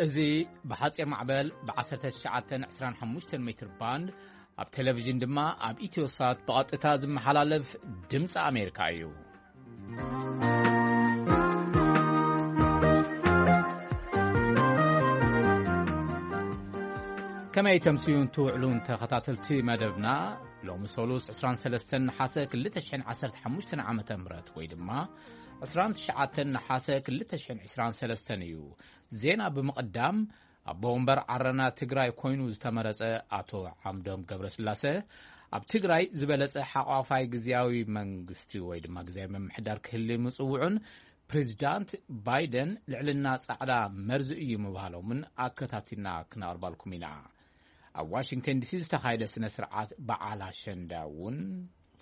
እዚ ብሓጺር ማዕበል ብ19 25 ሜትር ባንድ፣ ኣብ ቴሌቪዥን ድማ ኣብ ኢትዮሳት ብቐጥታ ዝመሓላለፍ ድምፂ ኣሜሪካ እዩ። ከመይ ተምስዩን ትውዕሉን ተኸታተልቲ መደብና? ሎሚ ሰሉስ 23 ነሓሰ 2015 ዓመተ ምህረት፣ ወይ ድማ 29 ነሓሰ 2023 እዩ። ዜና ብምቕዳም፣ ኣቦ ወንበር ዓረና ትግራይ ኮይኑ ዝተመረጸ ኣቶ ዓምዶም ገብረስላሰ፣ ኣብ ትግራይ ዝበለጸ ሓቋፋይ ግዝያዊ መንግስቲ ወይ ድማ ግዝያዊ ምምሕዳር ክህሊ ምጽውዑን፣ ፕሬዚዳንት ባይደን ልዕልና ጻዕዳ መርዚ እዩ ምባሎምን ኣከታቲልና ክነቕርባልኩም ኢና። ኣብ ዋሽንግተን ዲሲ ዝተኻየደ ስነ ስርዓት በዓል ኣሸንዳ እውን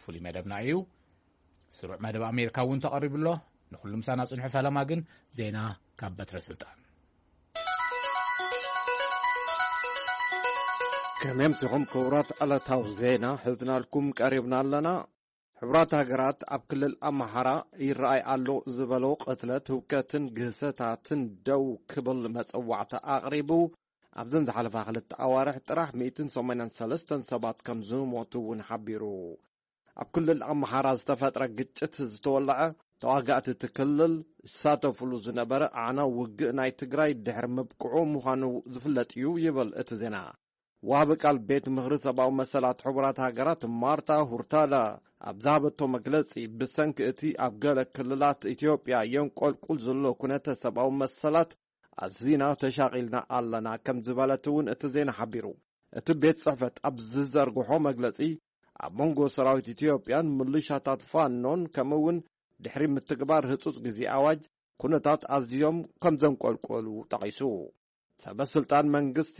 ፍሉይ መደብና እዩ። ስሩዕ መደብ ኣሜሪካ እውን ተቐሪቡ ኣሎ። ንኹሉ ምሳና ጽንሑ። ፈለማ ግን ዜና ካብ በትረ ስልጣን። ከመይ ኣምሲኹም ክቡራት? ዕለታዊ ዜና ሒዝናልኩም ቀሪብና ኣለና። ሕቡራት ሃገራት ኣብ ክልል ኣምሓራ ይረኣይ ኣሎ ዝበሎ ቅትለት፣ ህውከትን ግህሰታትን ደው ክብል መጸዋዕታ ኣቕሪቡ። ኣብዘን ዝሓለፋ ክልተ ኣዋርሕ ጥራሕ 183 ሰባት ከም ዝሞቱ እውን ሓቢሩ። ኣብ ክልል ኣምሓራ ዝተፈጥረ ግጭት ዝተወለዐ፣ ተዋጋእቲ እቲ ክልል ዝሳተፍሉ ዝነበረ ኣዕናዊ ውግእ ናይ ትግራይ ድሕሪ ምብቅዑ ምዃኑ ዝፍለጥ እዩ ይብል እቲ ዜና። ወሃቢ ቃል ቤት ምኽሪ ሰብኣዊ መሰላት ሕቡራት ሃገራት ማርታ ሁርታላ ኣብ ዝሃበቶ መግለጺ፣ ብሰንኪ እቲ ኣብ ገለ ክልላት ኢትዮጵያ የንቆልቁል ዘሎ ኩነተ ሰብኣዊ መሰላት ኣዚና ተሻቒልና ኣለና ከም ዝበለት እውን እቲ ዜና ሓቢሩ። እቲ ቤት ጽሕፈት ኣብ ዝዘርግሖ መግለጺ፣ ኣብ መንጎ ሰራዊት ኢትዮጵያን ምልሻታት ፋኖን ከምኡ እውን ድሕሪ ምትግባር ህጹጽ ግዜ ኣዋጅ ኩነታት ኣዝዮም ከም ዘንቆልቆሉ ጠቒሱ። ሰበ ስልጣን መንግስቲ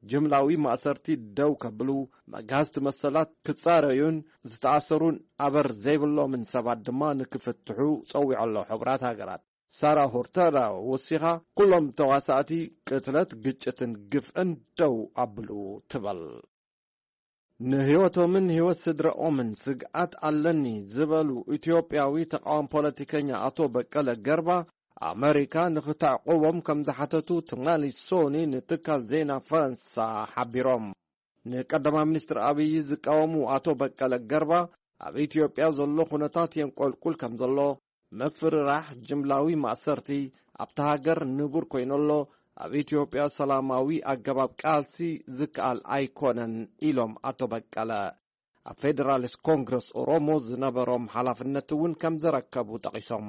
ጅምላዊ ማእሰርቲ ደው ከብሉ፣ መግሃስቲ መሰላት ክጻረዩን ዝተኣሰሩን ኣበር ዘይብሎምን ሰባት ድማ ንክፍትሑ ጸዊዑ ኣሎ። ሕቡራት ሃገራት ሳራ ሆርተራ ወሲኻ፣ ኩሎም ተዋሳእቲ ቅትለት፣ ግጭትን ግፍዕን ደው ኣብሉ ትበል። ንህይወቶምን ህይወት ስድራኦምን ስግኣት ኣለኒ ዝበሉ ኢትዮጵያዊ ተቃዋሚ ፖለቲከኛ ኣቶ በቀለ ገርባ፣ ኣመሪካ ንክተዕቁቦም ከም ዝሓተቱ ትማሊ ሶኒ ንትካል ዜና ፈረንሳ ሓቢሮም። ንቀዳማይ ሚኒስትር ኣብይ ዝቃወሙ ኣቶ በቀለ ገርባ፣ ኣብ ኢትዮጵያ ዘሎ ኩነታት የንቆልቁል ከም ዘሎ፣ ምፍርራሕ፣ ጅምላዊ ማእሰርቲ ኣብታ ሃገር ንቡር ኮይኑ ኣሎ፣ ኣብ ኢትዮጵያ ሰላማዊ ኣገባብ ቃልሲ ዝከኣል ኣይኮነን ኢሎም ኣቶ በቀለ። ኣብ ፌደራሊስት ኮንግረስ ኦሮሞ ዝነበሮም ሓላፍነት እውን ከም ዘረከቡ ጠቒሶም።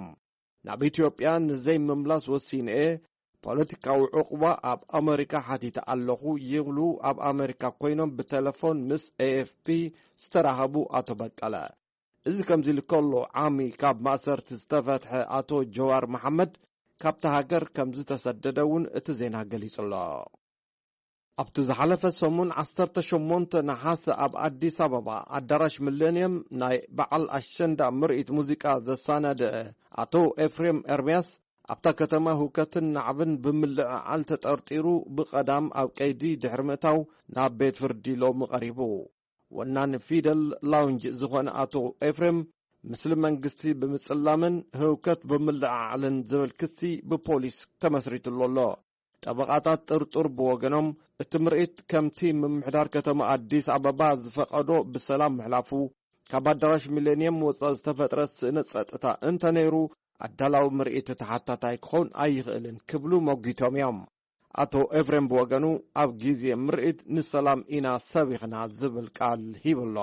ናብ ኢትዮጵያ ንዘይምምላስ ወሲነ እየ፣ ፖለቲካዊ ዕቑባ ኣብ ኣመሪካ ሓቲተ ኣለኹ ይብሉ ኣብ ኣመሪካ ኮይኖም ብቴሌፎን ምስ ኤኤፍፒ ዝተራኸቡ ኣቶ በቀለ። እዚ ከምዚ ኢሉ ከሎ፣ ዓሚ ካብ ማእሰርቲ ዝተፈትሐ ኣቶ ጀዋር መሓመድ ካብታ ሃገር ከም ዝተሰደደ እውን እቲ ዜና ገሊጹ ኣሎ። ኣብቲ ዝሓለፈ ሰሙን 18 ነሓሰ ኣብ ኣዲስ ኣበባ ኣዳራሽ ሚሌንየም ናይ በዓል ኣሸንዳ ምርኢት ሙዚቃ ዘሳናደአ ኣቶ ኤፍሬም ኤርምያስ፣ ኣብታ ከተማ ህውከትን ናዕብን ብምልዕዓል ተጠርጢሩ ብቐዳም ኣብ ቀይዲ ድሕሪ ምእታው ናብ ቤት ፍርዲ ሎሚ ቀሪቡ። ወናኒ ፊደል ላውንጅ ዝኾነ ኣቶ ኤፍሬም፣ ምስሊ መንግስቲ ብምጽላምን ህውከት ብምልዕዓልን ዝብል ክሲ ብፖሊስ ተመስሪትሉ ኣሎ። ጠበቓታት ጥርጡር ብወገኖም፣ እቲ ምርኢት ከምቲ ምምሕዳር ከተማ ኣዲስ ኣበባ ዝፈቐዶ ብሰላም ምሕላፉ፣ ካብ ኣዳራሽ ሚሌንየም ወጻኢ ዝተፈጥረ ስእነት ጸጥታ እንተነይሩ፣ ኣዳላዊ ምርኢት ተሓታታይ ክኸውን ኣይኽእልን ክብሉ መጒቶም እዮም። ኣቶ ኤፍሬም ብወገኑ፣ ኣብ ግዜ ምርኢት ንሰላም ኢና ሰቢኽና ዝብል ቃል ሂቡ ኣሎ።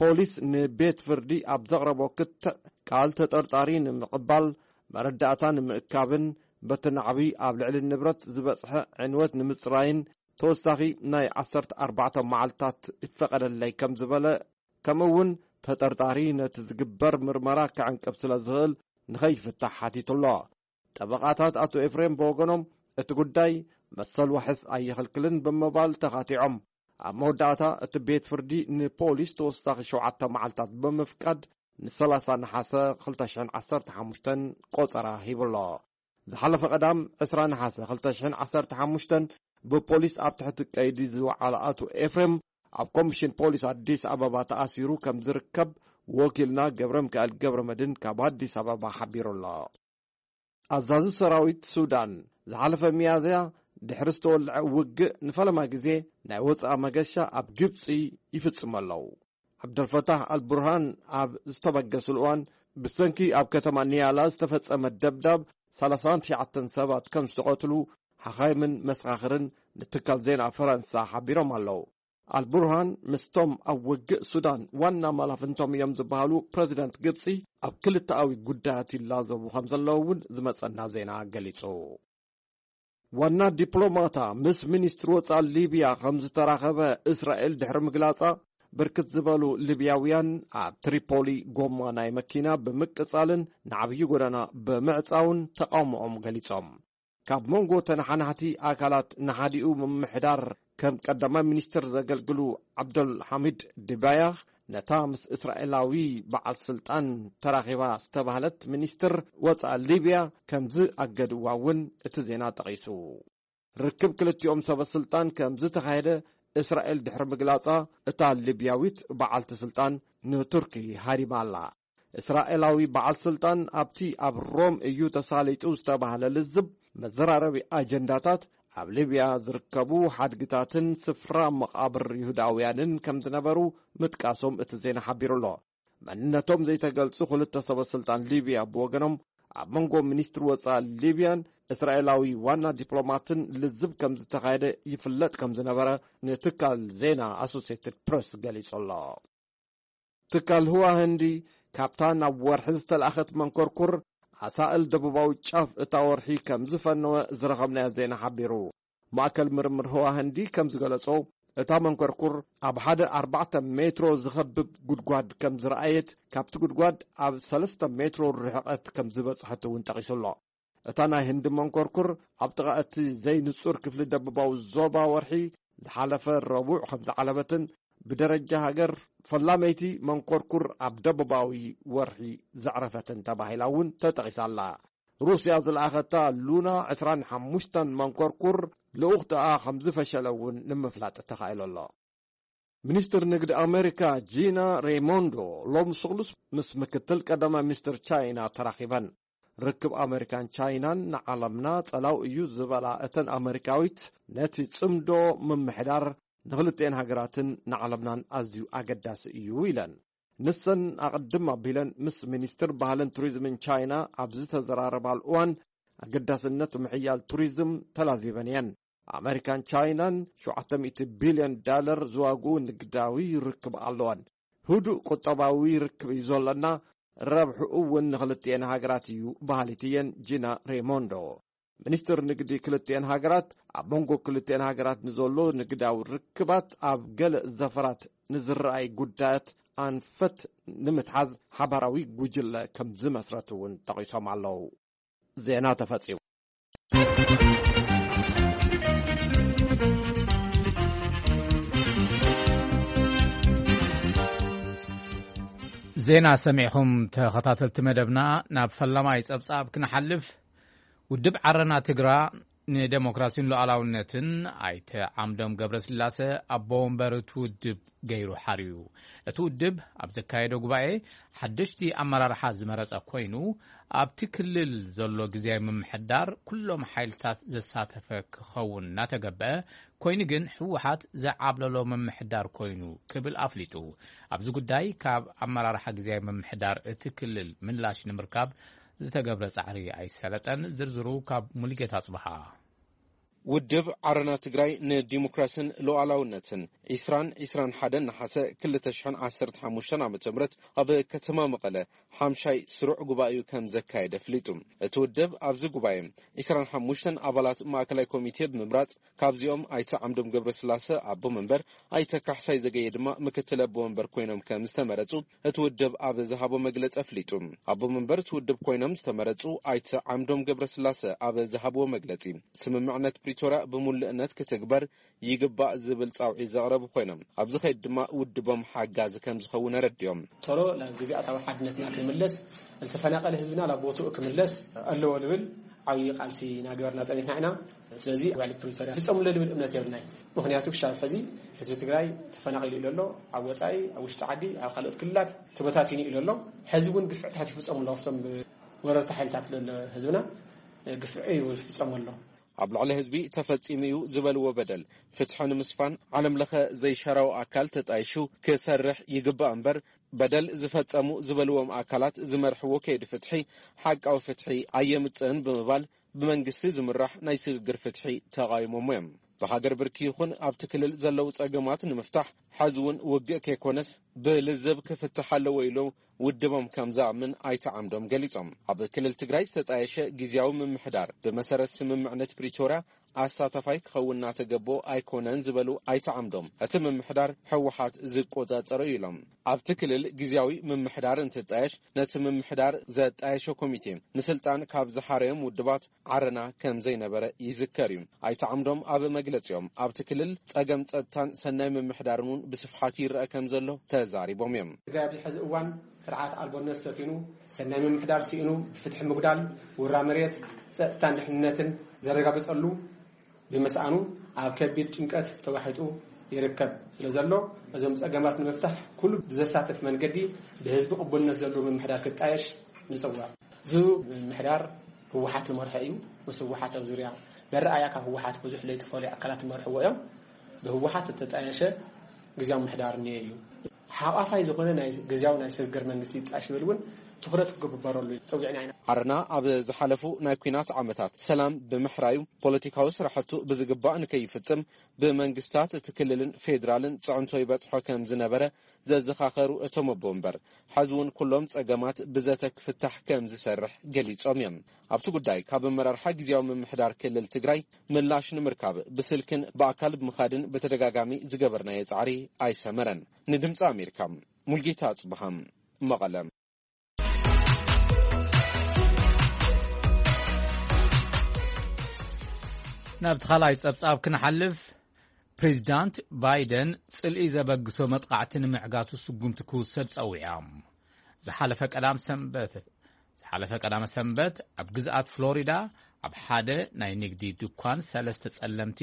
ፖሊስ ንቤት ፍርዲ ኣብ ዘቕረቦ ክትዕ ቃል፣ ተጠርጣሪ ንምቕባል፣ መረዳእታ ንምእካብን በቲ ናዕቢ ኣብ ልዕሊ ንብረት ዝበጽሐ ዕንወት ንምጽራይን ተወሳኺ ናይ 14 መዓልታት ይፈቐደለይ ከም ዝበለ፣ ከምኡ እውን ተጠርጣሪ ነቲ ዝግበር ምርመራ ክዕንቅፍ ስለ ዝኽእል ንኸይፍታሕ ሓቲቱ ኣሎ። ጠበቓታት ኣቶ ኤፍሬም ብወገኖም፣ እቲ ጉዳይ መሰል ዋሕስ ኣየኽልክልን ብምባል ተኻቲዖም። ኣብ መወዳእታ እቲ ቤት ፍርዲ ንፖሊስ ተወሳኺ ሸውዓተ መዓልታት ብምፍቃድ፣ ን30 ነሓሰ 2015 ቆጸራ ሂቡ ኣሎ። ዝሓለፈ ቀዳም 20 ነሓሰ 2015 ብፖሊስ ኣብ ትሕቲ ቀይዲ ዝወዓለ ኣቶ ኤፍሬም፣ ኣብ ኮሚሽን ፖሊስ ኣዲስ ኣበባ ተኣሲሩ ከም ዝርከብ ወኪልና ገብረ ሚካኤል ገብረ መድህን ካብ ኣዲስ ኣበባ ሓቢሩ ኣሎ። ኣዛዚ ሰራዊት ሱዳን ዝሓለፈ ሚያዝያ ድሕሪ ዝተወልዐ ውግእ ንፈለማ ግዜ ናይ ወጻኢ መገሻ ኣብ ግብጺ ይፍጽሙ ኣለዉ። ዓብደልፈታሕ ኣልቡርሃን ኣብ ዝተበገስሉ እዋን፣ ብሰንኪ ኣብ ከተማ ኒያላ ዝተፈጸመ ደብዳብ ሰላሳን ትሽዓተን ሰባት ከም ዝተቐትሉ ሓኻይምን መሰኻኽርን ንትካል ዜና ፈረንሳ ሓቢሮም ኣለዉ። ኣልቡርሃን ምስቶም ኣብ ውግእ ሱዳን ዋና መላፍንቶም እዮም ዝበሃሉ ፕረዚደንት ግብጺ ኣብ ክልተኣዊ ጉዳያት ይላዘቡ ከም ዘለዉ እውን ዝመጸና ዜና ገሊጹ። ዋና ዲፕሎማታ ምስ ሚኒስትሪ ወጻኢ ሊብያ ከም ዝተራኸበ እስራኤል ድሕሪ ምግላጻ፣ ብርክት ዝበሉ ሊብያውያን ኣብ ትሪፖሊ ጎማ ናይ መኪና ብምቅጻልን ንዓብዪ ጎደና ብምዕጻውን ተቃውሞኦም ገሊጾም። ካብ መንጎ ተነሓናሕቲ ኣካላት ንሓዲኡ ምምሕዳር ከም ቀዳማይ ሚኒስትር ዘገልግሉ ዓብደል ሓሚድ ዲባያህ፣ ነታ ምስ እስራኤላዊ በዓል ስልጣን ተራኺባ ዝተባህለት ሚኒስትር ወጻኢ ሊብያ ከም ዝኣገድዋ እውን እቲ ዜና ጠቒሱ። ርክብ ክልቲኦም ሰበ ስልጣን ከም ዝተኻየደ እስራኤል ድሕሪ ምግላጻ፣ እታ ሊብያዊት በዓልቲ ስልጣን ንቱርኪ ሃሪማ ኣላ። እስራኤላዊ በዓል ስልጣን ኣብቲ ኣብ ሮም እዩ ተሳሊጡ ዝተባህለ ልዝብ መዘራረቢ ኣጀንዳታት፣ ኣብ ሊብያ ዝርከቡ ሓድግታትን ስፍራ መቓብር ይሁዳውያንን ከም ዝነበሩ ምጥቃሶም እቲ ዜና ሓቢሩ ኣሎ። መንነቶም ዘይተገልጹ ክልተ ሰበ ስልጣን ሊብያ ብወገኖም፣ ኣብ መንጎ ሚኒስትሪ ወጻኢ ሊብያን እስራኤላዊ ዋና ዲፕሎማትን ልዝብ ከም ዝተኻየደ ይፍለጥ ከም ዝነበረ ንትካል ዜና ኣሶሲየትድ ፕረስ ገሊጹ ኣሎ። ትካል ህዋ ህንዲ፣ ካብታ ናብ ወርሒ ዝተላእኸት መንኮርኩር ኣሳእል ደቡባዊ ጫፍ እታ ወርሒ ከም ዝፈነወ ዝረኸብናዮ ዜና ሓቢሩ። ማእከል ምርምር ህዋ ህንዲ ከም ዝገለጾ፣ እታ መንኮርኩር ኣብ ሓደ ኣርባዕተ ሜትሮ ዝኸብብ ጉድጓድ ከም ዝረኣየት፣ ካብቲ ጉድጓድ ኣብ ሰለስተ ሜትሮ ርሕቐት ከም ዝበጽሐት እውን ጠቒሱ ኣሎ። እታ ናይ ህንዲ መንኮርኩር ኣብ ጥቓ እቲ ዘይንጹር ክፍሊ ደቡባዊ ዞባ ወርሒ ዝሓለፈ ረቡዕ ከም ዝዓለበትን፣ ብደረጃ ሃገር ፈላመይቲ መንኮርኩር ኣብ ደቡባዊ ወርሒ ዘዕረፈትን ተባሂላ እውን ተጠቒሳ ኣላ። ሩስያ ዝለኣኸታ ሉና ዕስራን ሓሙሽተን መንኮርኩር ልኡኽትኣ ከም ዝፈሸለ እውን ንምፍላጥ ተኻኢሉ ኣሎ። ሚኒስትር ንግዲ ኣሜሪካ ጂና ሬይሞንዶ ሎም ስሉስ ምስ ምክትል ቀዳማይ ሚኒስትር ቻይና ተራኺበን። ርክብ ኣሜሪካን ቻይናን ንዓለምና ጸላው እዩ ዝበላ እተን ኣሜሪካዊት፣ ነቲ ጽምዶ ምምሕዳር ንኽልቲኤን ሃገራትን ንዓለምናን ኣዝዩ ኣገዳሲ እዩ ኢለን። ንሰን ኣቐድም ኣቢለን ምስ ሚኒስትር ባህልን ቱሪዝምን ቻይና ኣብ ዝተዘራረባሉ እዋን፣ ኣገዳስነት ምሕያል ቱሪዝም ተላዚበን እየን። ኣሜሪካን ቻይናን ሸውዓተ ሚእቲ ቢልዮን ዳለር ዝዋግኡ ንግዳዊ ርክብ ኣለወን። ህዱእ ቁጠባዊ ርክብ እዩ ዘለና፣ ረብሕኡ እውን ንኽልቲኤን ሃገራት እዩ በሃሊት እየን ጂና ሬሞንዶ። ሚኒስትር ንግዲ ክልቲኤን ሃገራት ኣብ መንጎ ክልቲኤን ሃገራት ንዘሎ ንግዳዊ ርክባት ኣብ ገለ ዘፈራት ንዝረኣይ ጉዳያት ኣንፈት ንምትሓዝ ሓባራዊ ጉጅለ ከም ዝመስረት እውን ጠቒሶም ኣለዉ። ዜና ተፈጺሙ። ዜና ሰሚዕኹም ተኸታተልቲ መደብና። ናብ ፈላማይ ጸብጻብ ክንሓልፍ፣ ውድብ ዓረና ትግራ ንደሞክራሲን ሉዓላውነትን ኣይተ ዓምዶም ገብረስላሰ ኣቦ ወንበር እቲ ውድብ ገይሩ ሓርዩ። እቲ ውድብ ኣብ ዘካየዶ ጉባኤ ሓደሽቲ ኣመራርሓ ዝመረጸ ኮይኑ፣ ኣብቲ ክልል ዘሎ ግዝያዊ ምምሕዳር ኩሎም ሓይልታት ዘሳተፈ ክኸውን እናተገበአ፣ ኮይኑ ግን ህወሓት ዝዓብለሎ ምምሕዳር ኮይኑ ክብል ኣፍሊጡ። ኣብዚ ጉዳይ ካብ ኣመራርሓ ግዝያዊ ምምሕዳር እቲ ክልል ምላሽ ንምርካብ ዝተገብረ ጻዕሪ ኣይሰለጠን። ዝርዝሩ ካብ ሙሉጌታ ኣጽብሃ። ውድብ ዓረና ትግራይ ንዲሞክራስን ሉዓላውነትን ዒስራን ዒስራን ሓደን ነሓሰ ክልተ ሽሕን ዓሰርተ ሓሙሽተን ዓመተ ምህረት ኣብ ከተማ መቐለ ሓምሻይ ስሩዕ ጉባኤኡ ከም ዘካየደ ኣፍሊጡ። እቲ ውድብ ኣብዚ ጉባኤ ዒስራን ሓሙሽተን ኣባላት ማእከላይ ኮሚቴ ብምምራጽ፣ ካብዚኦም ኣይተ ዓምዶም ገብረስላሰ ኣቦ መንበር፣ ኣይተ ካሕሳይ ዘገየ ድማ ምክትል ኣቦ መንበር ኮይኖም ከም ዝተመረጹ እቲ ውድብ ኣብ ዝሃቦ መግለጺ ኣፍሊጡ። ኣቦ መንበር እቲ ውድብ ኮይኖም ዝተመረጹ ኣይተ ዓምዶም ገብረስላሰ ኣብ ዝሃብዎ መግለጺ፣ ስምምዕነት ፕሪቶርያ ብምሉእነት ክትግበር ይግባእ ዝብል ጻውዒት ዘቕረቡ ኮይኖም፣ ኣብዚ ኸይድ ድማ ውድቦም ሓጋዚ ከም ዝኸውን ኣረዲኦም። ቶሎ ናብ ግዝኣታዊ ሓድነትና ክንምለስ፣ ዝተፈናቐለ ህዝብና ናብ ቦትኡ ክምለስ ኣለዎ ልብል ዓብዪ ቃልሲ እናገበርና ጸኒሕና ኢና። ስለዚ ውዕሊ ፕሪቶርያ ክፍጸሙ ኣሎ ልብል እምነት የብልናይ። ምኽንያቱ ክሻብ ሕዚ ህዝቢ ትግራይ ተፈናቒሉ ኢሉ ኣሎ። ኣብ ወጻኢ፣ ኣብ ውሽጢ ዓዲ፣ ኣብ ካልኦት ክልላት ተበታቲኑ ኢሉ ኣሎ። ሕዚ እውን ግፍዕታት ይፍጸሙ ኣሎ። ኣብቶም ወረርቲ ሓይልታት ዘሎ ህዝብና ግፍዒ ይፍጸሙ ኣሎ። ኣብ ልዕሊ ህዝቢ ተፈጺሙ እዩ ዝበልዎ በደል ፍትሒ ንምስፋን ዓለም ለኸ ዘይሻራዊ ኣካል ተጣይሹ ክሰርሕ ይግባእ እምበር፣ በደል ዝፈጸሙ ዝበልዎም ኣካላት ዝመርሕዎ ከይዲ ፍትሒ ሓቃዊ ፍትሒ ኣየምጽእን ብምባል፣ ብመንግስቲ ዝምራሕ ናይ ስግግር ፍትሒ ተቓይሞሞ እዮም። ብሃገር ብርኪ ይኹን ኣብቲ ክልል ዘለዉ ጸገማት ንምፍታሕ፣ ሕዚ እውን ውግእ ከይኮነስ ብልዝብ ክፍትሕ ኣለዎ ኢሉ ውድቦም ከም ዝኣምን ኣይተ ዓምዶም ገሊጾም። ኣብ ክልል ትግራይ ዝተጣየሸ ግዝያዊ ምምሕዳር ብመሰረት ስምምዕነት ፕሪቶርያ ኣሳታፋይ ክኸውን እናተገቦ ኣይኮነን ዝበሉ ኣይተ ዓምዶም፣ እቲ ምምሕዳር ህወሓት ዝቆጻጸሮ እዩ ኢሎም። ኣብቲ ክልል ግዝያዊ ምምሕዳር እንትጣየሽ፣ ነቲ ምምሕዳር ዘጣየሾ ኮሚቴ ንስልጣን ካብ ዝሓረዮም ውድባት ዓረና ከም ዘይነበረ ይዝከር እዩ። ኣይተ ዓምዶም ኣብ መግለጺኦም፣ ኣብቲ ክልል ጸገም ጸጥታን ሰናይ ምምሕዳርን እውን ብስፍሓት ይረአ ከም ዘሎ ተዛሪቦም እዮም። ትግራይ ኣብዚ ሕዚ እዋን ስርዓት ኣልቦነት ሰፊኑ፣ ሰናይ ምምሕዳር ስኢኑ፣ ፍትሒ ምጉዳል፣ ውራ መሬት፣ ጸጥታን ድሕንነትን ዘረጋግጸሉ ብምስኣኑ ኣብ ከቢድ ጭንቀት ተዋሒጡ ይርከብ ስለ ዘሎ፣ እዞም ጸገማት ንምፍታሕ ኩሉ ብዘሳተፍ መንገዲ ብህዝቢ ቅቡልነት ዘለዎ ምምሕዳር ክጣየሽ ንጽውዕ። እዚ ምምሕዳር ህወሓት ዝመርሖ እዩ። ምስ ህወሓት ኣብ ዙርያ መረኣያ ካብ ህወሓት ብዙሕ ዘይተፈልዩ ኣካላት ዝመርሕዎ እዮም። ብህወሓት ዝተጣየሸ ግዝያዊ ምምሕዳር እኒኦ እዩ። ሓቋፋይ ዝኾነ ናይ ግዝያዊ ናይ ስግግር መንግስቲ ይጣየሽ ዝብል እውን ትኹረት ክግበረሉ ጸዊዕና ኢና። ዓረና ኣብ ዝሓለፉ ናይ ኲናት ዓመታት ሰላም ብምሕራዩ፣ ፖለቲካዊ ስራሕቱ ብዝግባእ ንከይፍጽም ብመንግስታት እቲ ክልልን ፌዴራልን ጽዕንቶ ይበጽሖ ከም ዝነበረ ዘዘኻኸሩ እቶም ኣቦ ወንበር፣ ሕዚ እውን ኩሎም ጸገማት ብዘተ ክፍታሕ ከም ዝሰርሕ ገሊጾም እዮም። ኣብቲ ጉዳይ ካብ ኣመራርሓ ግዝያዊ ምምሕዳር ክልል ትግራይ ምላሽ ንምርካብ ብስልክን ብኣካል ብምኻድን ብተደጋጋሚ ዝገበርናዮ ጻዕሪ ኣይሰመረን። ንድምፂ ኣሜሪካ፣ ሙልጌታ ኣጽብሃም፣ መቐለ። ናብቲ ካልኣይ ጸብጻብ ክንሓልፍ፣ ፕሬዚዳንት ባይደን ጽልኢ ዘበግሶ መጥቓዕቲ ንምዕጋቱ ስጉምቲ ክውሰድ ጸዊዖም። ዝሓለፈ ቀዳም ሰንበት ዝሓለፈ ቀዳመ ሰንበት ኣብ ግዝኣት ፍሎሪዳ ኣብ ሓደ ናይ ንግዲ ድኳን ሰለስተ ጸለምቲ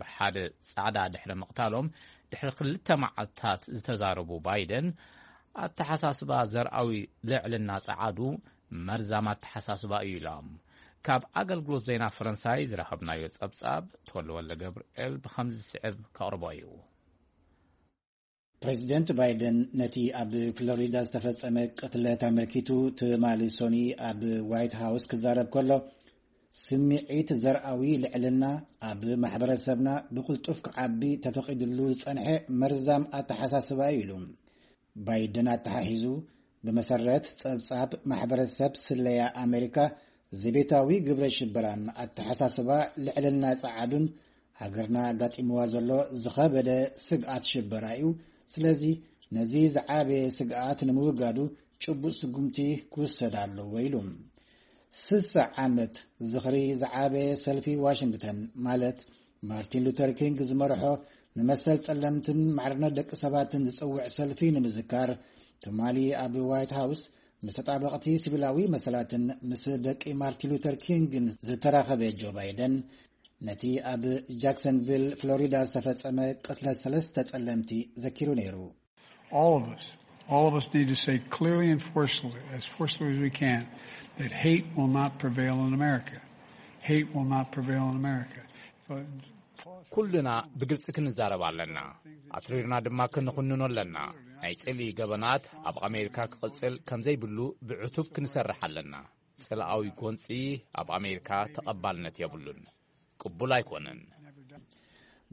ብሓደ ጻዕዳ ድሕሪ ምቕታሎም፣ ድሕሪ ክልተ መዓልታት ዝተዛረቡ ባይደን፣ ኣተሓሳስባ ዘርኣዊ ልዕልና ጸዓዱ መርዛም ኣተሓሳስባ እዩ ኢሎም። ካብ ኣገልግሎት ዜና ፈረንሳይ ዝረኸብናዮ ጸብጻብ ተወልደ ወልደ ገብርኤል ብኸምዚ ዝስዕብ ከቕርቦ እዩ። ፕሬዚደንት ባይደን ነቲ ኣብ ፍሎሪዳ ዝተፈጸመ ቅትለት ኣመልኪቱ ትማሊ ሶኒ ኣብ ዋይት ሃውስ ክዛረብ ከሎ፣ ስምዒት ዘርኣዊ ልዕልና ኣብ ማሕበረሰብና ብቕልጡፍ ክዓቢ ተፈቒድሉ ዝጸንሐ መርዛም ኣተሓሳስባ እዩ ኢሉ። ባይደን ኣተሓሒዙ፣ ብመሰረት ጸብጻብ ማሕበረሰብ ስለያ ኣሜሪካ፣ ዘቤታዊ ግብረ ሽበራን ኣተሓሳስባ ልዕልና ጸዓዱን ሃገርና ኣጋጢምዋ ዘሎ ዝኸበደ ስግኣት ሽበራ እዩ። ስለዚ ነዚ ዝዓበየ ስግኣት ንምውጋዱ ጭቡጥ ስጉምቲ ክውሰድ ኣለዎ ኢሉ። ስሳ ዓመት ዝኽሪ ዝዓበየ ሰልፊ ዋሽንግተን፣ ማለት ማርቲን ሉተር ኪንግ ዝመርሖ ንመሰል ጸለምትን ማዕርነት ደቂ ሰባትን ዝጽውዕ ሰልፊ ንምዝካር፣ ትማሊ ኣብ ዋይት ሃውስ ምስ ተጣበቕቲ ሲቪላዊ መሰላትን ምስ ደቂ ማርቲን ሉተር ኪንግን ዝተራኸበ ጆ ባይደን፣ ነቲ ኣብ ጃክሰንቪል ፍሎሪዳ ዝተፈጸመ ቅትለት ሰለስተ ጸለምቲ ዘኪሩ ነይሩ። All of us, all of us need to say clearly and forcefully, as forcefully as we can, that hate will not prevail in America. Hate will not prevail in America. But ኩልና ብግልጺ ክንዛረብ ኣለና። ኣትሪርና ድማ ክንኹንኖ ኣለና። ናይ ጽልኢ ገበናት ኣብ ኣሜሪካ ክቕጽል ከም ዘይብሉ ብዕቱብ ክንሰርሕ ኣለና። ጽልኣዊ ጎንጺ ኣብ ኣሜሪካ ተቐባልነት የብሉን። ቅቡል ኣይኮነን።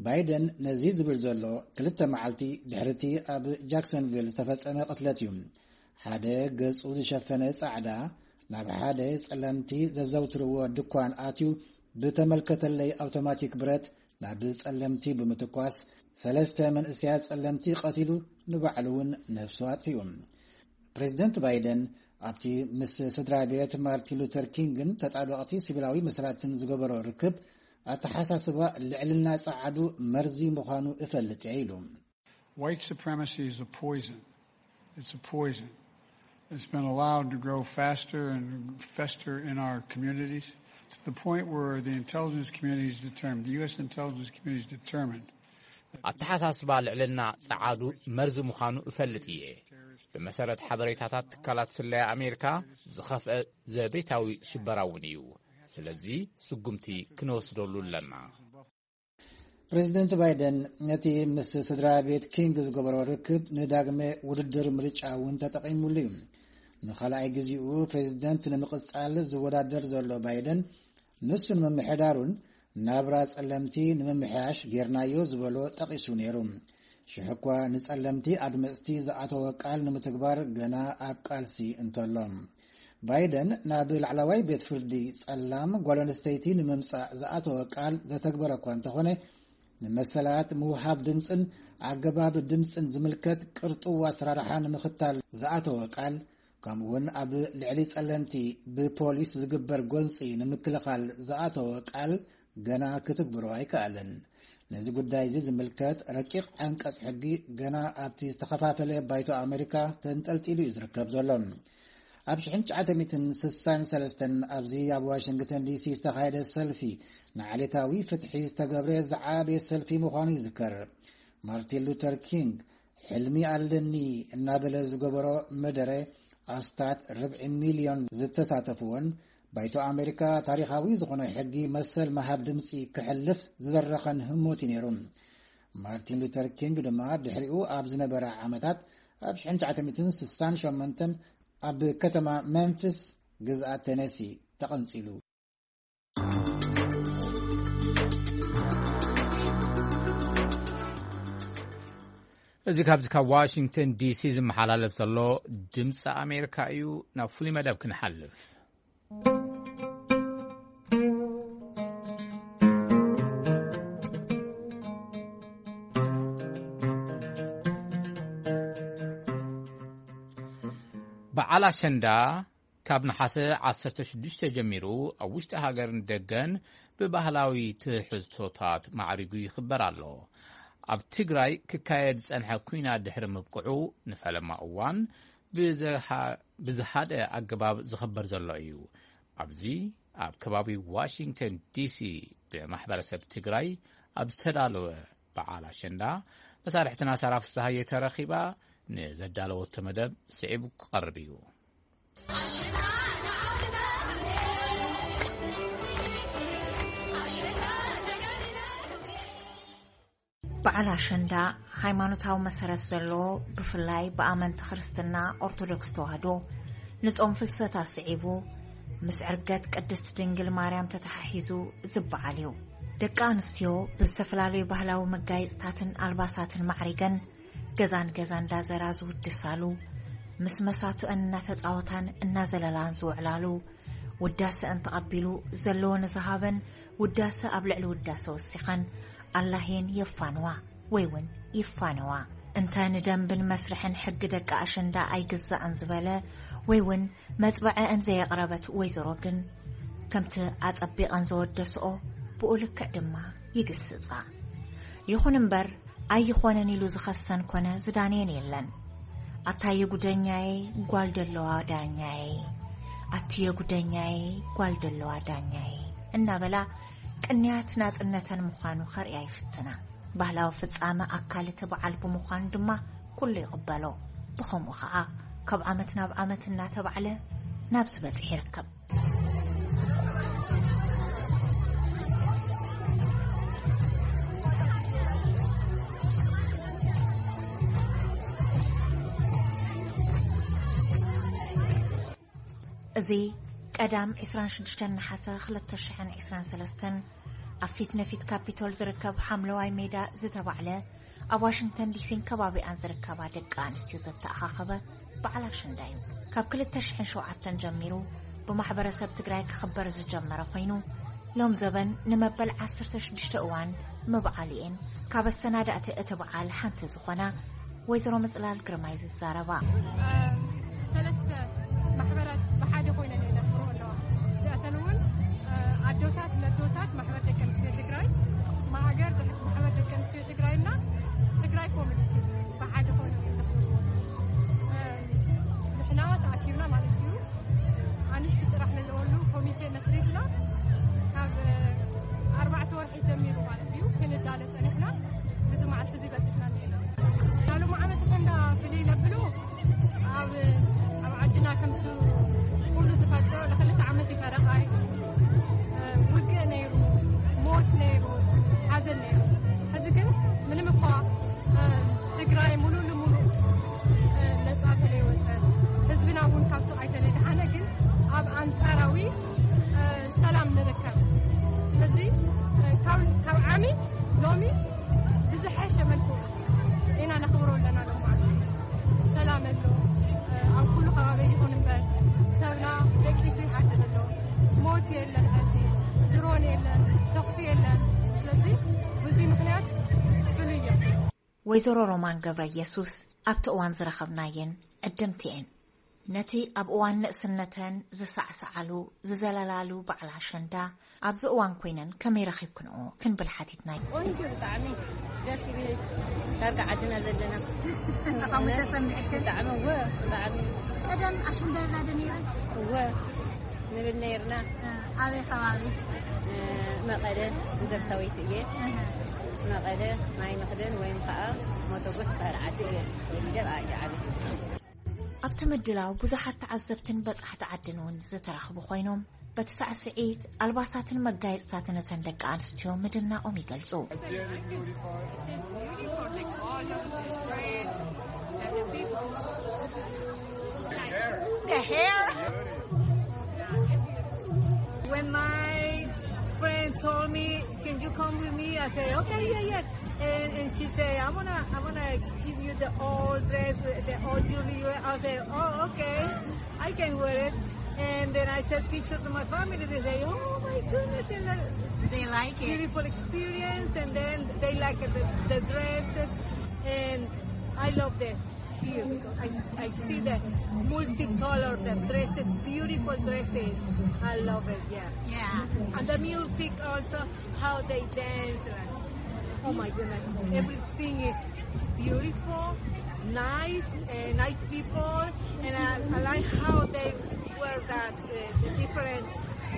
ባይደን ነዚ ዝብል ዘሎ ክልተ መዓልቲ ድሕርቲ ኣብ ጃክሰንቪል ዝተፈጸመ ቅትለት እዩ። ሓደ ገጹ ዝሸፈነ ጻዕዳ ናብ ሓደ ጸለምቲ ዘዘውትርዎ ድኳን ኣትዩ ብተመልከተለይ ኣውቶማቲክ ብረት ናብ ጸለምቲ ብምትኳስ ሰለስተ መንእሰያት ጸለምቲ ቀቲሉ ንባዕሉ እውን ነብሱ ኣጥፊኡ። ፕሬዚደንት ባይደን ኣብቲ ምስ ስድራ ቤት ማርቲን ሉተር ኪንግን ተጣበቕቲ ሲቪላዊ መሰላትን ዝገበሮ ርክብ ኣተሓሳስባ ልዕልና ጸዓዱ መርዚ ምዃኑ እፈልጥ እየ ኢሉ። White supremacy is a poison. It's a poison. It's been allowed to grow faster and fester in our communities to the point where the intelligence community is determined, the U S intelligence community is determined. ኣተሓሳስባ ልዕልና ጸዓዱ መርዚ ምዃኑ እፈልጥ እየ። ብመሰረት ሓበሬታታት ትካላት ስለያ ኣሜሪካ፣ ዝኸፍአ ዘቤታዊ ሽበራ እውን እዩ። ስለዚ ስጉምቲ ክንወስደሉ ኣለና። ፕሬዚደንት ባይደን ነቲ ምስ ስድራ ቤት ኪንግ ዝገበሮ ርክብ ንዳግመ ውድድር ምርጫ እውን ተጠቒሙሉ እዩ። ንኻልኣይ ግዜኡ ፕሬዚደንት ንምቕጻል ዝወዳደር ዘሎ ባይደን፣ ንሱን ምምሕዳሩን ናብራ ጸለምቲ ንምምሕያሽ ጌርናዮ ዝበሎ ጠቒሱ ነይሩ። ሽሕኳ ንጸለምቲ ኣድመጽቲ ዝኣተወ ቃል ንምትግባር ገና ኣብ ቃልሲ እንተሎ፣ ባይደን ናብ ላዕለዋይ ቤት ፍርዲ ጸላም ጓል ኣንስተይቲ ንምምጻእ ዝኣተወ ቃል ዘተግበረ እኳ እንተኾነ፣ ንመሰላት ምውሃብ ድምጽን ኣገባብ ድምጽን ዝምልከት ቅርጡው ኣሰራርሓ ንምኽታል ዝኣተወ ቃል፣ ከምኡውን ኣብ ልዕሊ ጸለምቲ ብፖሊስ ዝግበር ጎንጺ ንምክልኻል ዝኣተወ ቃል ገና ክትግብሮ ኣይከኣለን። ነዚ ጉዳይ እዚ ዝምልከት ረቂቕ ዓንቀጽ ሕጊ ገና ኣብቲ ዝተኸፋፈለ ባይቶ ኣሜሪካ ተንጠልጢሉ እዩ ዝርከብ ዘሎ። ኣብ ሽሕን ትሽዓተ ሚእትን ስሳን ሰለስተን ኣብዚ ኣብ ዋሽንግተን ዲሲ ዝተኻየደ ሰልፊ፣ ንዓሌታዊ ፍትሒ ዝተገብረ ዝዓበየ ሰልፊ ምዃኑ ይዝከር። ማርቲን ሉተር ኪንግ፣ "ሕልሚ ኣለኒ" እናበለ ዝገበሮ መደረ፣ ኣስታት ርብዒ ሚልዮን ዝተሳተፍዎን፣ ባይቶ ኣሜሪካ ታሪኻዊ ዝኾነ ሕጊ መሰል ምሃብ ድምጺ ክሕልፍ ዝደረኸን ህሞት እዩ ነይሩ። ማርቲን ሉተር ኪንግ ድማ ድሕሪኡ ኣብ ዝነበረ ዓመታት፣ ኣብ ሽሕን ትሽዓተ ሚእትን ስሳን ሸሞንተን ኣብ ከተማ መምፊስ ግዝኣት ቴነሲ ተቐንጺሉ። እዚ ካብዚ ካብ ዋሽንግተን ዲሲ ዝመሓላለፍ ዘሎ ድምፂ ኣሜሪካ እዩ። ናብ ፍሉይ መደብ ክንሓልፍ። በዓል ኣሸንዳ ካብ ነሓሰ ዓሰርተ ሽዱሽተ ጀሚሩ ኣብ ውሽጢ ሃገርን ደገን ብባህላዊ ትሕዝቶታት ማዕሪጉ ይኽበር ኣሎ። ኣብ ትግራይ ክካየድ ዝጸንሐ ኲናት ድሕሪ ምብቅዑ፣ ንፈለማ እዋን ብዝሃ-፣ ብዝሃደ ኣገባብ ዝኽበር ዘሎ እዩ። ኣብዚ ኣብ ከባቢ ዋሽንግተን ዲሲ ብማሕበረሰብ ትግራይ ኣብ ዝተዳለወ በዓል ኣሸንዳ፣ መሳርሕትና ሳራ ፍስሃየ ተረኺባ ንዘዳለወቶ መደብ ስዒቡ ክቐርብ እዩ። በዓል ኣሸንዳ ሃይማኖታዊ መሰረት ዘለዎ፣ ብፍላይ ብኣመንቲ ክርስትና ኦርቶዶክስ ተዋህዶ፣ ንጾም ፍልሰታ ስዒቡ፣ ምስ ዕርገት ቅድስት ድንግል ማርያም ተተሓሒዙ ዝበዓል እዩ። ደቂ ኣንስትዮ ብዝተፈላለዩ ባህላዊ መጋየጽታትን ኣልባሳትን ማዕሪገን፣ ገዛን ገዛን እንዳዘራ ዝውድሳሉ፣ ምስ መሳቱአን እናተጻወታን እናዘለላን ዝውዕላሉ፣ ውዳሰአን ተቐቢሉ ዘለዎ ንዝሃበን ውዳሰ ኣብ ልዕሊ ውዳሰ ወሲኸን ኣላህየን የፋንዋ ወይ እውን ይፋነዋ። እንተ ንደንብን መስርሕን ሕጊ ደቂ ኣሸንዳ ኣይግዛእን ዝበለ ወይ እውን መጽበዐአን ዘየቕረበት ወይዘሮ ግን፣ ከምቲ ኣጸቢቐን ዘወደስኦ ብኡ ልክዕ ድማ ይግስጻ። ይኹን እምበር፣ ኣይኾነን ኢሉ ዝኸሰን ኮነ ዝዳንየን የለን። "ኣታ የጉደኛዬ ጓል ደለዋ ዳኛዬ፣ ኣቲ የጉደኛዬ ጓል ደለዋ ዳኛዬ" እናበላ ቅንያት ናጽነተን ምዃኑ ከርእያ ይፍትና። ባህላዊ ፍጻመ ኣካል እቲ በዓል ብምዃኑ ድማ ኩሉ ይቕበሎ። ብኸምኡ ኸኣ ካብ ዓመት ናብ ዓመት እናተባዕለ ናብዚ በጺሑ ይርከብ። እዚ ቀዳም ዕስራን ሽዱሽተን ነሓሰ ክልተ ሽሕን ዕስራን ሰለስተን ኣብ ፊት ንፊት ካፒቶል ዝርከብ ሓምለዋይ ሜዳ ዝተባዕለ፣ ኣብ ዋሽንግተን ዲሲን ከባቢኣን ዝርከባ ደቂ ኣንስትዮ ዘተኣኻኸበ በዓል ኣሸንዳ እዩ። ካብ ክልተ ሽሕን ሸውዓተን ጀሚሩ ብማሕበረሰብ ትግራይ ክኽበር ዝጀመረ ኮይኑ፣ ሎም ዘበን ንመበል ዓሰርተ ሽዱሽተ እዋን ምብዓሉ እየን ካብ ኣሰናዳእቲ እቲ በዓል ሓንቲ ዝኾና ወይዘሮ ምጽላል ግርማይ ዝዛረባ። ሰለስተ ማሕበራት ብሓደ ኮይነን እየን ዘኽብርኦ ኣለዋ። እዚኣተን እውን፣ እ፣ ኣዶታት ለዶታት ማሕበር ደቂ ኣንስትዮ ትግራይ፣ ማእገር ማሕበር ደቂ ኣንስትዮ ትግራይና ትግራይ ኮሚኒቲ ብሓደ ኮይኖም እዮም ዘኽብርዎ። እ፣ ንሕና ተኣኪብና ማለት እዩ። ኣንሽቲ ጥራሕ ንልኦሉ ኮሚቴ መስሪትና ካብ፣ እ፣ ኣርባዕተ ወርሒ ጀሚሩ ማለት እዩ ክንዳለ ጸኒሕና። እዚ መዓልቲ እዚ በጺሕና እኒኤና። ዳሉ መዓመት ኣሸንዳ ፍልይ ለብሉ ኣብ፣ ኣብ ዓድና ከምቲ ኩሉ ዝፈልጦ ንክልተ ዓመት እዩ ፈረቓ እዩ። እ፣ ሰላም ንርከብ። ስለዚ፣ እ፣ ካብ፣ ካብ ዓሚ ሎሚ ብዝሐሸ መልክዑ ኢና ነኽብሮ ኣለና። ሎም መዓልቲ ሰላም ኣሎ። እ፣ ኣብ ኩሉ ከባቢ ይኹን እምበር ሰብና ደቂሱ ይሓድር ኣሎ። ሞት የለን፣ ሕዚ ድሮን የለን፣ ተኹሲ የለን። ስለዚ በዚ ምኽንያት ፍሉይ እዩ። ወይዘሮ ሮማን ገብረ ኢየሱስ ኣብቲ እዋን ዝረኸብናየን ዕድምቲ እየን። ነቲ ኣብ እዋን ንእስነተን ዝሰዕሰዓሉ፣ ዝዘለላሉ በዓል ኣሸንዳ ኣብዚ እዋን ኮይነን ከመይ ረኺብክንኦ ክንብል ሓቲትናዮ። ቆንጆ ብጣዕሚ ደስ ይብል። ዳርጋ ዓድና ዘለና። ብጣዕሚ ተሰሚዕክን? ብጣዕሚ እወ፣ ብጣዕሚ። ቀደም ኣሸንዳ ይብላ ዶ ነይረን? እወ፣ ንብል ነይርና። እ፣ ኣበይ ከባቢ? እ፣ መቐለ፣ ዘርታዊት እየ። እህ። መቐለ፣ ማይ መኽደን ወይም ከዓ ሞተጎ ትበሃል ዓዲ እየ ተወሊደ፣ ብኣ እየ ዓብየ። ኣብቲ ምድላው ብዙሓት ተዓዘብትን በጻሕቲ ዓድን እውን ዝተረኽቡ ኮይኖም፣ በቲ ሳዕስዒት፣ ኣልባሳትን መጋየጽታትን እተን ደቂ ኣንስትዮ ምድናቖም ይገልጹ። The hair. When my friend told me, "Can you come with me?" I say, "Okay, yeah, yeah." And, and she say, "I'm gonna, I'm gonna give you the old dress, the old jewelry." I say, "Oh, okay, I can wear it." And then I send pictures to my family. They say, "Oh my goodness, they like They like it. beautiful experience." And then they like the, the dresses, and I love them. Here, because I, I see the multicolored, the dresses, beautiful dresses. I love it, yeah. Yeah. And the music also, how they dance. Like, oh my goodness, everything is beautiful, nice, and nice people. And I, I like how they wear that, uh, the different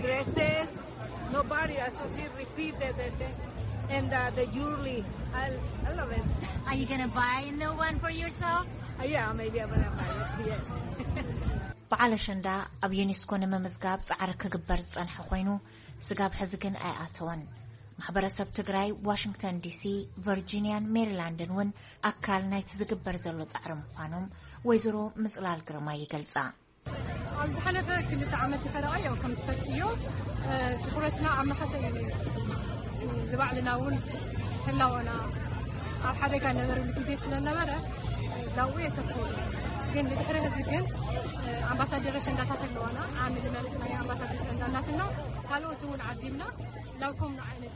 dresses. Nobody, I saw she repeat the, the, the, and uh, the jewelry. I, I love it. Are you gonna buy a new one for yourself? Uh, yeah, maybe I'm gonna buy it, yes. በዓል ኣሸንዳ ኣብ ዩኔስኮ ንምምዝጋብ ጻዕሪ ክግበር ዝጸንሐ ኮይኑ፣ ስጋብ ሕዚ ግን ኣይኣተወን። ማሕበረሰብ ትግራይ፣ ዋሽንግተን ዲሲ፣ ቨርጂንያን ሜሪላንድን እውን ኣካል ናይቲ ዝግበር ዘሎ ጻዕሪ ምዃኖም ወይዘሮ ምጽላል ግርማ ይገልጻ። ኣብ ዝሓለፈ ክልተ ዓመት ይኸረቐ፣ ያው ከም ትፈልጥዮ፣ እ፣ ትኹረትና ኣብ መኸተ እዩ። ንባዕልና እውን ህላወና ኣብ ሓደጋ ነበረሉ ግዜ ስለነበረ፣ ላው የተኮሩ። ግን ንድሕሪ ሕዚ ግን፣ እ፣ ኣምባሳደር ኣሸንዳታት ኣለዋና። ዓሚ ዝመረጽናዮ ኣምባሳደር ኣሸንዳ ኣላትና። ካልኦት እውን ዓዲምና ላው ከምኡ ዓይነት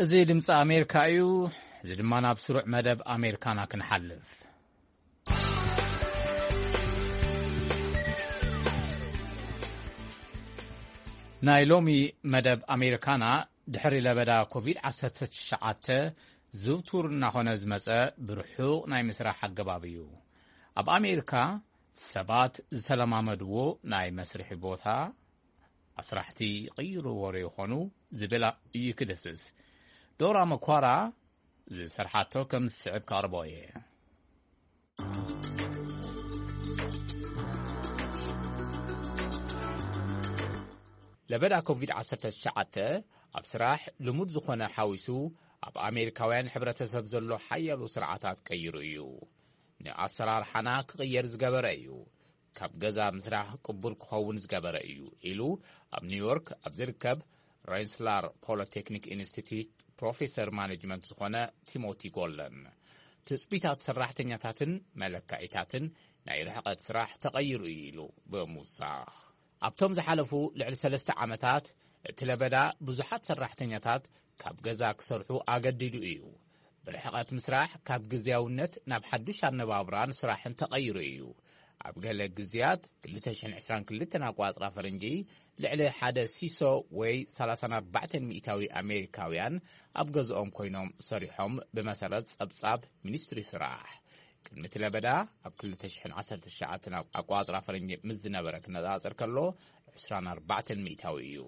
እዚ ድምፂ ኣሜሪካ እዩ። እዚ ድማ ናብ ስሩዕ መደብ ኣሜሪካና ክንሓልፍ። ናይ ሎሚ መደብ ኣሜሪካና፣ ድሕሪ ለበዳ ኮቪድ ዓሰርተ ትሽዓተ ዝውቱር እናኾነ ዝመጸ ብርሑቕ ናይ ምስራሕ ኣገባብ እዩ። ኣብ ኣሜሪካ ሰባት ዝተለማመድዎ ናይ መስርሒ ቦታ ኣስራሕቲ ይቕይርዎ ዶ ይኾኑ ዝብል እዩ ክድስስ። ዶራ መኳራ ዝሰርሓቶ ከም ዝስዕብ ከቕርቦ እየ። ለበዳ ኮቪድ ዓሰርተ ትሽዓተ ኣብ ስራሕ ልሙድ ዝኾነ ሓዊሱ ኣብ ኣሜሪካውያን ሕብረተሰብ ዘሎ ሓያሎ ስርዓታት ቀይሩ እዩ። ንኣሰራርሓና ክቕየር ዝገበረ እዩ። ካብ ገዛ ምስራሕ ቅቡል ክኸውን ዝገበረ እዩ ኢሉ ኣብ ኒውዮርክ ኣብ ዝርከብ ሬንስላር ፖሊቴክኒክ ኢንስቲትዩት ፕሮፌሰር ማኔጅመንት ዝኾነ ቲሞቲ ጎልደን። ትጽቢታት ሰራሕተኛታትን መለክዒታትን ናይ ርሕቐት ስራሕ ተቐይሩ እዩ ኢሉ ብምውሳኽ። ኣብቶም ዝሓለፉ ልዕሊ ሰለስተ ዓመታት እቲ ለበዳ ብዙሓት ሰራሕተኛታት ካብ ገዛ ክሰርሑ ኣገዲዱ እዩ። ብርሕቐት ምስራሕ ካብ ግዝያውነት ናብ ሓዱሽ ኣነባብራን ስራሕን ተቐይሩ እዩ። ኣብ ገለ ግዝያት ክልተ ሽሕን ዕስራን ክልተን ኣቋጽራ ፈረንጂ ልዕሊ ሓደ ሲሶ ወይ ሰላሳን ኣርባዕተን ሚእታዊ ኣሜሪካውያን ኣብ ገዝኦም ኮይኖም ሰሪሖም ብመሰረት ጸብጻብ ሚኒስትሪ ስራሕ። ቅድሚ እቲ ለበዳ ኣብ ክልተ ሽሕን ዓሰርተ ትሽዓተን ኣቋጽራ ፈረንጂ ምስ ዝነበረ ክነጻጸር ከሎ ዕስራን ኣርባዕተን ሚእታዊ እዩ።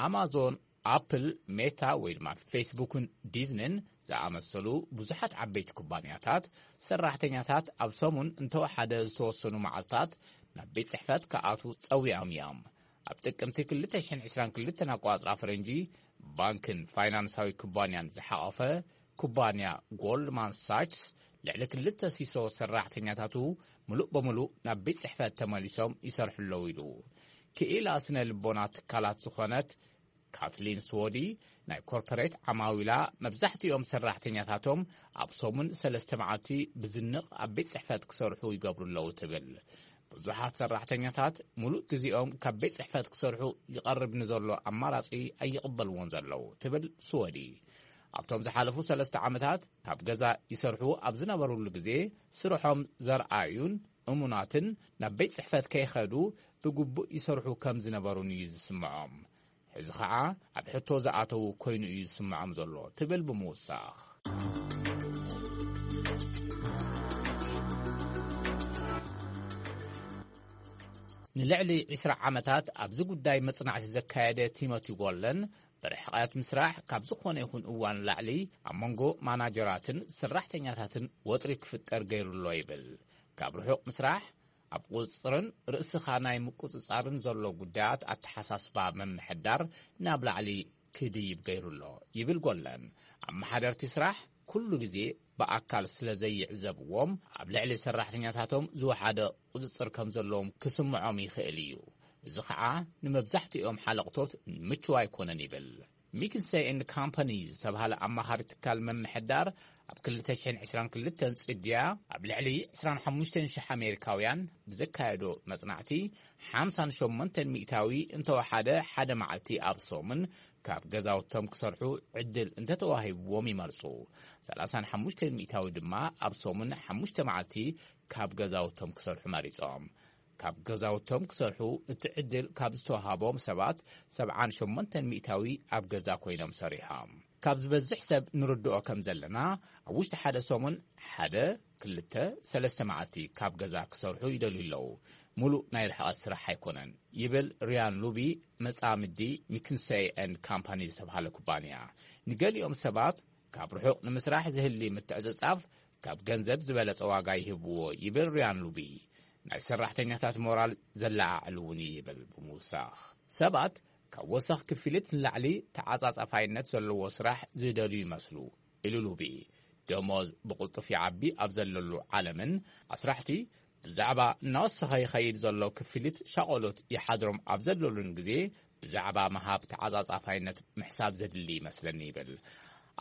ኣማዞን ኣፕል፣ ሜታ ወይ ድማ ፌስቡክን ዲዝንን ዝኣመሰሉ ብዙሓት ዓበይቲ ኩባንያታት፣ ሰራሕተኛታት ኣብ ሰሙን እንተወሓደ ዝተወሰኑ መዓልታት ናብ ቤት ጽሕፈት ክኣትዉ ጸዊዖም እዮም። ኣብ ጥቅምቲ ክልተ ሽሕን ዕስራን ክልተን ኣቆጻጽራ ፈረንጂ፣ ባንክን ፋይናንሳዊ ኩባንያን ዝሓቐፈ ኩባንያ ጎልድማን ሳችስ፣ ልዕሊ ክልተ ሲሶ ሰራሕተኛታቱ ምሉእ ብምሉእ ናብ ቤት ጽሕፈት ተመሊሶም ይሰርሑ ኣለዉ ኢሉ። ክኢላ ስነ ልቦና ትካላት ዝኾነት ካትሊን ስዎዲ፣ ናይ ኮርፖሬት ዓማዊላ መብዛሕትኦም ሰራሕተኛታቶም ኣብ ሰሙን ሰለስተ መዓልቲ ብዝንቕ ኣብ ቤት ጽሕፈት ክሰርሑ ይገብሩ ኣለዉ ትብል። ብዙሓት ሰራሕተኛታት ሙሉእ ግዜኦም ካብ ቤት ጽሕፈት ክሰርሑ ይቐርብ ንዘሎ ኣማራጺ ኣይቕበልዎን ዘለዉ ትብል ስወዲ። ኣብቶም ዝሓለፉ ሰለስተ ዓመታት ካብ ገዛ ይሰርሑ ኣብ ዝነበሩሉ ግዜ፣ ስርሖም ዘርኣዩን እሙናትን፣ ናብ ቤት ጽሕፈት ከይኸዱ ብግቡእ ይሰርሑ ከም ዝነበሩን እዩ ዝስምዖም። ሕዚ ኸዓ ኣብ ሕቶ ዝኣተዉ ኮይኑ እዩ ዝስምዖም ዘሎ ትብል ብምውሳኽ። ንልዕሊ ዕስራ ዓመታት ኣብዚ ጉዳይ መጽናዕቲ ዘካየደ ቲሞቲ ጎለን፣ ብርሕቐት ምስራሕ ካብ ዝኾነ ይኹን እዋን ላዕሊ ኣብ መንጎ ማናጀራትን ሰራሕተኛታትን ወጥሪ ክፍጠር ገይሩ ኣሎ ይብል። ካብ ርሑቕ ምስራሕ ኣብ ቁጽጽርን ርእስኻ ናይ ምቁጽጻርን ዘሎ ጉዳያት ኣተሓሳስባ ምምሕዳር ናብ ላዕሊ ክድይብ ገይሩ ኣሎ ይብል ጎለን። ኣመሓደርቲ ስራሕ ኩሉ ግዜ ብኣካል ስለ ዘይዕዘብዎም፣ ኣብ ልዕሊ ሰራሕተኛታቶም ዝወሓደ ቁጽጽር ከም ዘለዎም ክስምዖም ይኽእል እዩ። እዚ ኸዓ ንመብዛሕትኦም ሓለቕቶት ምቹው ኣይኮነን ይብል። ሚክንሰይ ኤንድ ካምፓኒ ዝተባህለ ኣማኻሪ ትካል ምምሕዳር፣ ኣብ ክልተ ሽሕን ዕስራን ክልተን ጽድያ ኣብ ልዕሊ ዕስራን ሓሙሽተን ሽሕ ኣሜሪካውያን ብዘካየዶ መጽናዕቲ፣ ሓምሳን ሸሞንተን ሚእታዊ እንተወሓደ ሓደ መዓልቲ ኣብ ሰሙን ካብ ገዛውቶም ክሰርሑ ዕድል እንተተዋሂብዎም ይመርጹ። ሰላሳን ሓሙሽተን ሚእታዊ ድማ ኣብ ሰሙን ሓሙሽተ መዓልቲ ካብ ገዛውቶም ክሰርሑ መሪጾም። ካብ ገዛውቶም ክሰርሑ እቲ ዕድል ካብ ዝተዋሃቦም ሰባት፣ ሰብዓን ሸሞንተን ሚእታዊ ኣብ ገዛ ኮይኖም ሰሪሖም። ካብ ዝበዝሕ ሰብ ንርድኦ ከም ዘለና፣ ኣብ ውሽጢ ሓደ ሰሙን ሓደ፣ ክልተ፣ ሰለስተ መዓልቲ ካብ ገዛ ክሰርሑ ይደልዩ ኣለዉ። ሙሉእ ናይ ርሕቐት ስራሕ ኣይኮነን ይብል ሪያን ሉቢ፣ መጻምዲ ሚክንሰይ ኤንድ ካምፓኒ ዝተባሃለ ኩባንያ። ንገሊኦም ሰባት ካብ ርሑቕ ንምስራሕ ዝህሊ ምትዕጽጻፍ ካብ ገንዘብ ዝበለጸ ዋጋ ይህብዎ ይብል ሪያን ሉቢ። ናይ ሰራሕተኛታት ሞራል ዘለዓዕል እውን እዩ ይብል ብምውሳኽ። ሰባት ካብ ወሰኽ ክፍሊት ንላዕሊ ተዓጻጻፋይነት ዘለዎ ስራሕ ዝደልዩ ይመስሉ ኢሉ ሉቢ። ደሞዝ ብቕልጡፍ ይዓቢ ኣብ ዘለሉ ዓለምን ኣስራሕቲ ብዛዕባ እናወሰኸ ይኸይድ ዘሎ ክፍሊት ሻቐሎት ይሓድሮም ኣብ ዘለሉን ግዜ፣ ብዛዕባ ምሃብ ተዓጻጻፋይነት ምሕሳብ ዘድሊ ይመስለኒ ይብል።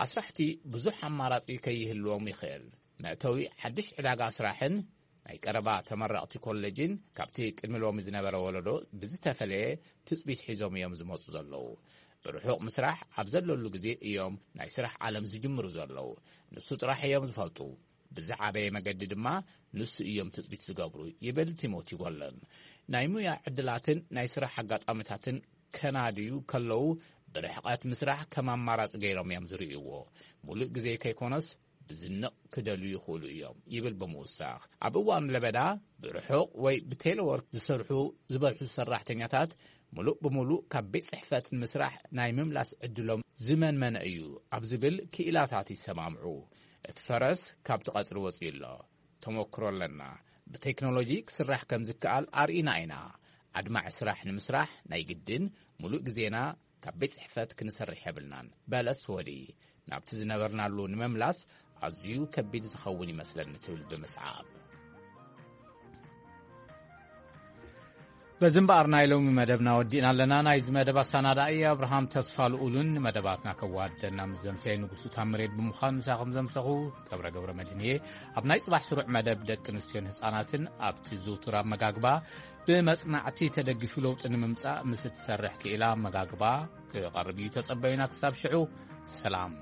ኣስራሕቲ ብዙሕ ኣማራጺ ከይህልዎም ይኽእል። መእተዊ ሓድሽ ዕዳጋ ስራሕን ናይ ቀረባ ተመረቕቲ ኮሌጅን ካብቲ ቅድሚ ሎሚ ዝነበረ ወለዶ ብዝተፈለየ ትጽቢት ሒዞም እዮም ዝመጹ ዘለዉ። ብርሑቕ ምስራሕ ኣብ ዘለሉ ግዜ እዮም ናይ ስራሕ ዓለም ዝጅምሩ ዘለዉ። ንሱ ጥራሕ እዮም ዝፈልጡ። ብዝዓበየ መገዲ ድማ ንሱ እዮም ትጽቢት ዝገብሩ ይብል ቲሞቲ ጎለን። ናይ ሙያ ዕድላትን ናይ ስራሕ ኣጋጣሚታትን ከናድዩ ከለዉ ብርሕቐት ምስራሕ ከም ኣማራጺ ገይሮም እዮም ዝርእይዎ። ሙሉእ ግዜ ከይኮነስ ብዝንቕ ክደልዩ ይኽእሉ እዮም ይብል ብምውሳኽ። ኣብ እዋን ለበዳ ብርሑቕ ወይ ብቴሌወርክ ዝሰርሑ ዝበዝሑ ሰራሕተኛታት፣ ሙሉእ ብሙሉእ ካብ ቤት ጽሕፈት ንምስራሕ ናይ ምምላስ ዕድሎም ዝመንመነ እዩ ኣብ ዝብል ክኢላታት ይሰማምዑ። እቲ ፈረስ ካብቲ ቀጽሪ ወጺኡ ኣሎ። ተመክሮ ኣለና። ብቴክኖሎጂ ክስራሕ ከም ዝከኣል ኣርኢና ኢና። ኣድማዒ ስራሕ ንምስራሕ ናይ ግድን ሙሉእ ግዜና ካብ ቤት ጽሕፈት ክንሰርሕ የብልናን፣ በለ ስወዲ። ናብቲ ዝነበርናሉ ንምምላስ ኣዝዩ ከቢድ ዝኸውን ይመስለኒ ትብል ብምስዓብ። በዚ እምበኣር ናይ ሎሚ መደብና ወዲእና ኣለና። ናይዚ መደብ ኣሰናዳኢ ኣብርሃም ተስፋ ልኡልን ንመደባትና ከዋደና ምስ ዘምሰየ ንጉሱ ታምሬድ ብምዃን ምሳኹም ዘምሰኹ ገብረ ገብረ መድህን እየ። ኣብ ናይ ጽባሕ ስሩዕ መደብ ደቂ ኣንስትዮን ህጻናትን ኣብቲ ዝውቱር ኣመጋግባ ብመጽናዕቲ ተደጊፉ ለውጢ ንምምጻእ ምስ እትሰርሕ ክኢላ ኣመጋግባ ክቐርብ እዩ። ተጸበዩና። ክሳብ ሽዑ ሰላም።